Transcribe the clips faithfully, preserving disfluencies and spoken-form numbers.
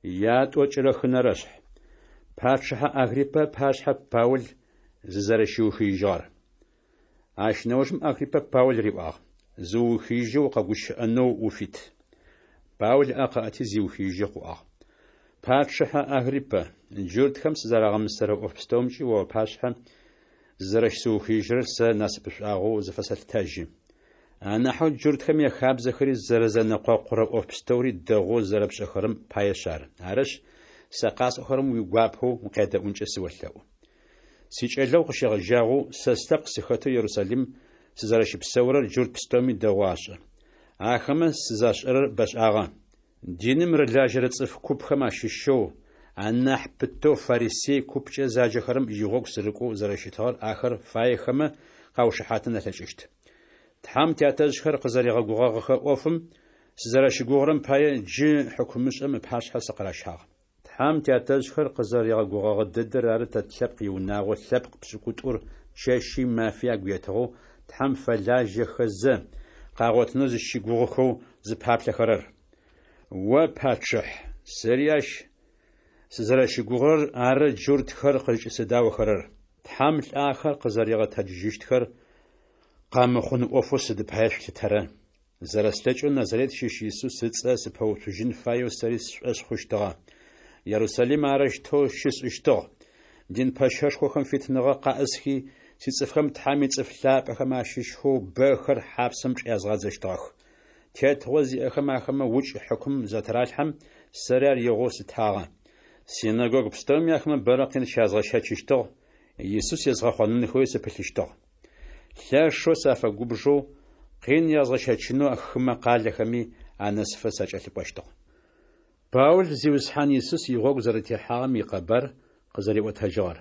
Ятӏокӏырэ хынэрэ шъхь. Пачъыхьэ Агриппэ ыпашъхьэ Паул зызэрэщиухыижьыгъэр. Ащ нэужым Агриппэ Паул риӏуагъ: Зыуухыижьэу укъэгущыӏэнэу уфит. Паул ыӏэ къыӏэти зиухыижьэу къыӏуагъ: Пачъыхьэ Агриппэ, джуртхэм сызэрагъэмысэрэ ӏоф пстэумкӏи о уапашъхьэ зызэрэщысыухыижьырэр сэ насыпышӏуагъэу зыфэсэлъытэжьы. Анахьэу джуртхэм яхабзэхэри зэрэзэнэкъокъурэ ӏоф пстэури дэгъоу зэрэпшӏэхэрэм паешъ ары. Арышъ, сэ къасӏохэрэм уигуапэу укъядэӏункӏэ сыолъэӏу. Сикӏэлэгъу къыщегъэжьагъэу сэ слъэпкъ сыхэтэу Ерусалим сызэрэщыпсэурэр джурт пстэуми дэгъоу ашӏэ. Ахэмэ сызашӏэрэр бэшӏагъэ. Диным рылажьэрэ цӏыф купхэм ащыщэу, анахь пытэу фарисей купкӏэ заджэхэрэм игъогу сырыкӏоу зэрэщытыгъэр ахэр фаехэмэ къаушыхьатын алъэкӏыщт. Тхьэм тятэжъхэр къызэригъэгугъэгъэхэ ӏофым сызэрэщыгугъырэм пае джы хьыкумышӏэм ыпашъхьэ сыкъыращагъ. Тхьэм тятэжъхэр къызэригъэгугъэгъэ дэдэр ары тэ тлъэпкъ иунагъо лъэпкъ пшӏыкӏутӏур чэщи мафи агу етыгъэу Тхьэм фэлажьэхэзэ, къагъотынэу зыщыгугъыхэу зыпаплъэхэрэр. О, пачъыхь, сэри ащ сызэрэщыгугъырэр ары джуртхэр къызкӏысэдаохэрэр. Тхьэм лӏахэр къызэригъэтэджыжьыщтхэр къэмыхъун ӏофэу сыд пае шъулъытэрэ? Зэрэслъэкӏэу Назарет щыщ Исус ыцӏэ сыпэуцужьын фаеу сэри сшӏошъ хъущтыгъэ. Ерусалим арэущтэу щысшӏыщтыгъ. Дин пэщэшхохэм фитыныгъэ къаӏысхи, сицӏыфхэм Тхьэм ицӏыф лъапӏэхэм ащыщхэу бэхэр хьапсэм чӏязгъадзэщтыгъэх. Тетыгъо зиӏэхэм ахэмэ укӏ хьыкум затыралъхьэм, сэри ар игъоу слъытагъэ. Синэгогу пстэуми ахэмэ бэрэ къин щязгъэщэчыщтыгъ, Исус езгъэхъонынхэуи сыпылъыщтыгъ. Лъэшэу сафэгубжэу, къин язгъэщэчынэу хымэ къалэхэми анэсыфэ сакӏэлъыкӏощтыгъ. Паул Зиусхьан Исус игъогу зэрэтехьагъэм икъэбар къызэриӏотэжьыгъэр.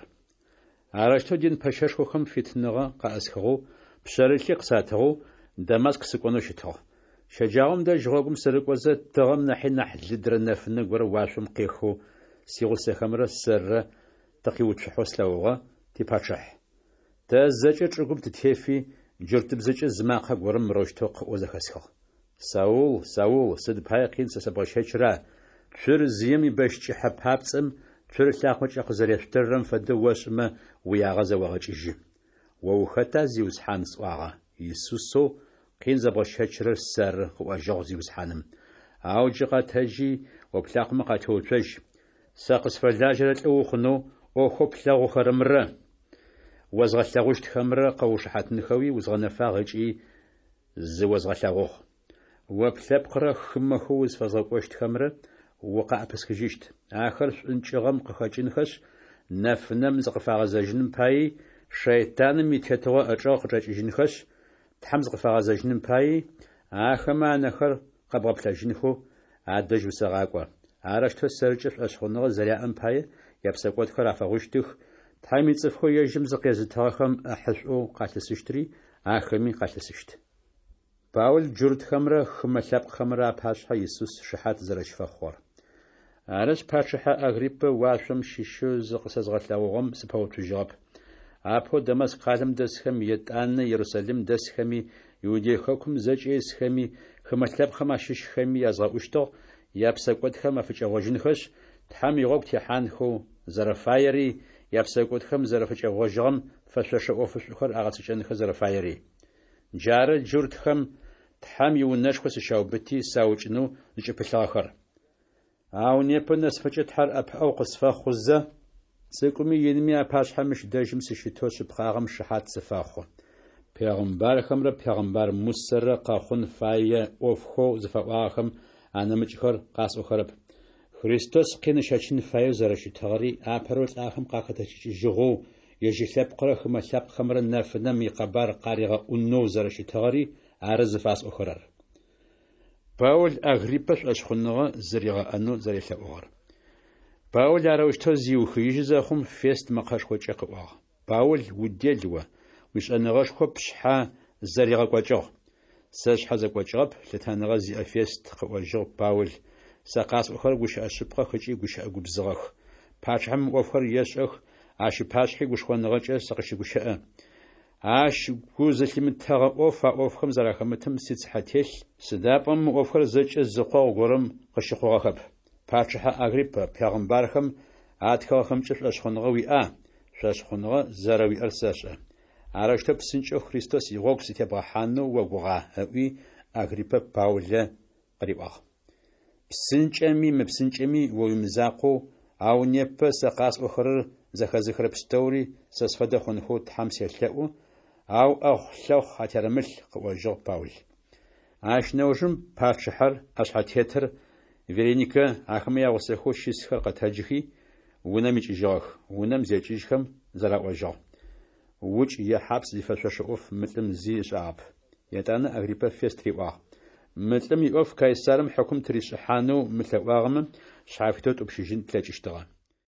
Арэущтэу дин пэщэшхохэм фитыныгъэ къаӏысхыгъэу, пшъэрылъи къысатыгъэу Дамаск сыкӏонэу щытыгъ. Щэджагъом дэжь гъогум сырыкӏозэ, тыгъэм нахьи нахь лыдрэ нэфынэ горэ уашъом къехэу сигъусэхэмрэ сэррэ тыкъиуцухьэу слъэгъугъэ, типачъыхь. Тэ зэкӏэ чӏыгум тытефи, джуртыбзэкӏэ зы макъэ горэм мырэущтэу къыӏоу зэхэсхыгъ: Саул, Саул, сыд пае къин сэ сэбгъэщэчра? Цур зыем ибэщ кӏыхьэ папцӏэм цур лъакъокӏэ къызэрешъутыррэм фэдэу ошӏымэ, уиягъэ зэогъэкӏыжьы. О ухэта, Зиусхьан? сӏуагъэ. Исусэу къин зэбгъэщэчырэр сэры, къыӏожьыгъ Зиусхьаным. Ау джы къэтэджи, о плъакъомэ къатеуцожь. Сэ къысфэлажьэрэ лӏы ухъунэу, ӏофхэу плъэгъухэрэмрэ озгъэлъэгъущтхэмрэ къэуушыхьатынхэуи узгъэнэфагъ ыкӏи зыозгъэлъэгъугъ. О плъэпкърэ хымэхэу узфэзгъэкӏощтхэмрэ укъаӏэпысхыжьыщт. Ахэр шӏункӏыгъэм къыхэкӏынхэшъ, нэфынэм зыкъыфагъэзэжьыным паий, шэйтаным итетыгъо ычӏэгъ къычӏэкӏыжьынхэшъ, Тхьэм зыкъыфагъэзэжьыным паий, ахэмэ анэхэр къэбгъэплъэжьынхэу адэжь усэгъакӏо. Арэущтэу сэркӏэ шӏошъхъуныгъэ зэряӏэм пае япсэкӏодхэр афэгъущтых, Тхьэм ицӏыфхэу ежьым зыкъезытыгъэхэм ӏэхьышӏоу къалъысыщтри ахэми къалъысыщт. Паул джуртхэмрэ хымэ лъэпкъхэмрэ апашъхьэ Исус шыхьат зэрэщыфэхъугъэр. Арышъ, пачъыхьэ Агриппэ уашъом щыщэу зыкъысэзгъэлъэгъугъэм сыпэуцужьыгъэп. Апэу Дамаск къалэм дэсхэм, етӏанэ Ерусалим дэсхэми, Иудей хэкум зэкӏэ исхэми, хымэ лъэпкъхэм ащыщхэми язгъэӏущтыгъ япсэкӏодхэм афыкӏэгъожьынхэшъ, Тхьэм игъогу техьанхэу зэрэфаери, япсэкӏодхэм зэрафыкӏэгъожьыгъэм фэшъошэ ӏофышӏухэр агъэцэкӏэнхэ зэрэфаери. Джары джуртхэм Тхьэм иунэшхо сыщаубыти саукӏынэу зыкӏыпылъыгъэхэр. Ау непэ нэсыфэкӏэ Тхьэр ӏэпыӏэгъу къысфэхъузэ, цӏыкӏуми инми апашъхьэ мыщ дэжьым сыщытэу шъыпкъагъэм шыхьат сыфэхъу. Пегъымбархэмрэ пегъымбар Мусэрэ къэхъун фае ӏофхэу зыфаӏуагъэхэм анэмыкӏхэр къасӏохэрэп. Христос къин ыщэчын фаеу зэрэщытыгъэри, апэрэу лӏахэм къахэтэджыкӏыжьыгъэу, ежь ылъэпкърэ хымэ лъэпкъхэмрэ нэфынэм икъэбар къаригъэӏунэу зэрэщытыгъэри ары зыфасӏохэрэр. Паул Агриппэ шӏошъхъуныгъэ зыригъэӏэнэу зэрелъэӏугъэр. Паул арэущтэу зиухыижьы зэхъум, Фест мэкъэшхокӏэ къыӏуагъ: Паул, удел о, уишӏэныгъэшхо пшъхьэ зэригъэкӏокӏыгъ. Сэ сшъхьэ зэкӏокӏыгъэп, лъытэныгъэ зиӏэ Фест, къыӏожьыгъ Паул, сэ къасӏохэрэр гущыӏэ шъыпкъэх ыкӏи гущыӏэ губзыгъэх. Пачъыхьэм мы ӏофхэр ешӏэх, ащ ыпашъхьи гушхоныгъэкӏэ сыкъыщыгущыӏэ. Ащ гу зылъимытэгъэ ӏоф а ӏофхэм зэрахэмытым сицыхьэ телъ, сыда пӏомэ мы ӏофхэр зэкӏэ зы къогъу горэм къыщыхъугъэхэп. Пачъыхьэ Агриппэ, пегъымбархэм атхыгъэхэмкӏэ шӏошъхъуныгъэ уиӏа? Шӏошъхъуныгъэ зэрэуиӏэр сэшӏэ. Арэущтэу псынкӏэу Христос игъогу сытебгъэхьанэу огугъа? ыӏуи, Агриппэ Паулэ къыриӏуагъ. Псынкӏэми мыпсынкӏэми о уимызакъоу, ау непэ сэ къасӏохэрэр зэхэзыхырэ пстэури сэ сфэдэ хъунхэу Тхьэм селъэӏу, ау ӏэхъу-лъэхъу атерэмылъ, къыӏожьыгъ Паул. Ащ нэужым пачъыхьэр, ӏэшъхьэтетыр, Вереникэ, ахэмэ ягъусэхэу щысхэр къэтэджыхи, унэм икӏыжьыгъэх. Унэм зекӏыжьхэм зэраӏожьыгъ: Укӏ е хьапс зифэшъошэ ӏоф мы лӏым зи ышӏагъэп. Етӏанэ Агриппэ Фест риӏуагъ: Мы лӏым иӏоф Кайсарым хьыкум тыришӏыхьанэу мылъэӏуагъэмэ, шъхьафитэу ттӏупщыжьын тлъэкӏыщтыгъэ.